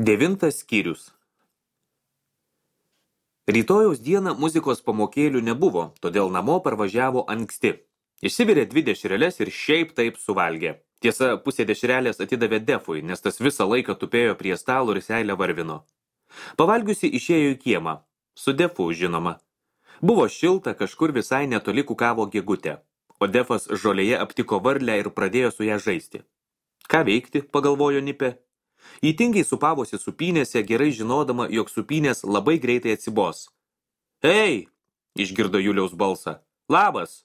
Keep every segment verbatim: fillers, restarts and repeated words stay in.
Devintas skyrius. Rytojaus dieną muzikos pamokėlių nebuvo, todėl namo parvažiavo anksti. Išsivirė dvi dešreles ir šiaip taip suvalgė. Tiesa, pusė dešrelės atidavė Defui, nes tas visą laiką tupėjo prie stalo ir seilę varvino. Pavalgiusi išėjo į kiemą. Su Defu, žinoma. Buvo šilta, kažkur visai netoli kukavo gegutė, o Defas žolėje aptiko varlę ir pradėjo su ją žaisti. Ką veikti, pagalvojo Nipė. Įtingiai supavosi supynėse, gerai žinodama, jog supynės labai greitai atsibos. Ei, išgirdo Juliaus balsą. Labas.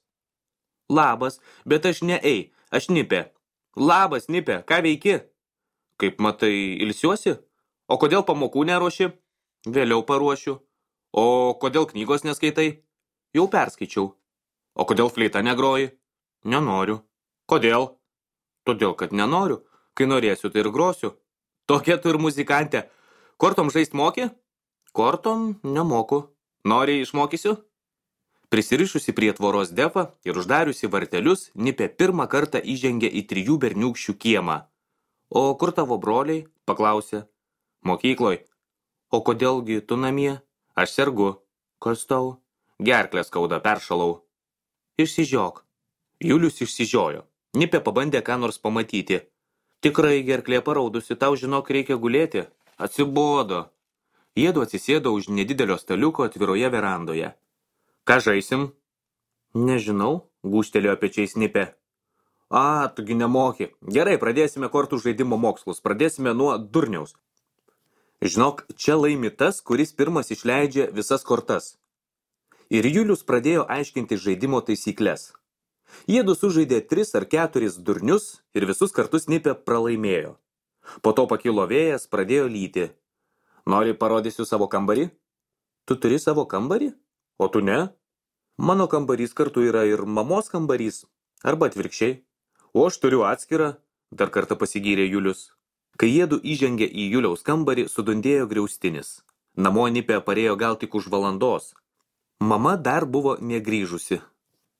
Labas, bet aš ne ei, aš Nipė. Labas, Nipė, ką veiki? Kaip matai, ilsiuosi? O kodėl pamokų neruoši? Vėliau paruošiu. O kodėl knygos neskaitai? Jau perskaičiau. O kodėl fleita negroji? Nenoriu. Kodėl? Todėl, kad nenoriu. Kai norėsiu, tai ir grosiu. Tokia tu ir muzikantė. Kortom žaist moki? Kortom nemoku. Nori išmokysiu? Prisirišusi prie tvoros Defą ir uždariusi vartelius, Nipė pirmą kartą įžengė į trijų berniūkščių kiemą. O kur tavo broliai? Paklausė. Mokykloj. O kodėlgi tu namie? Aš sergu. Kas tau? Gerklę skauda, peršalau. Išsižiok. Julius išsižiojo. Nipė pabandė ką nors pamatyti. Tikrai gerklė paraudusi, tau žinok reikia gulėti. Atsibodo. Jiedu atsisėdo už nedidelio staliuko atviroje verandoje. Ką žaisim? Nežinau, gūžtelėjo pečiais Nipė. A, tugi nemoki. Gerai, pradėsime kortų žaidimo mokslus. Pradėsime nuo durniaus. Žinok, čia laimi tas, kuris pirmas išleidžia visas kortas. Ir Julius pradėjo aiškinti žaidimo taisyklės. Jiedu sužaidė tris ar keturis durnius ir visus kartus Nipė pralaimėjo. Po to pakilo vėjas, pradėjo lyti. Nori parodysiu savo kambarį? Tu turi savo kambarį? O tu ne? Mano kambarys kartu yra ir mamos kambarys, arba atvirkščiai. O aš turiu atskirą, dar kartą pasigyrė Julius. Kai jiedu įžengė į Juliaus kambarį, sudundėjo griaustinis. Namo Nipė parėjo gal tik už valandos. Mama dar buvo negrįžusi.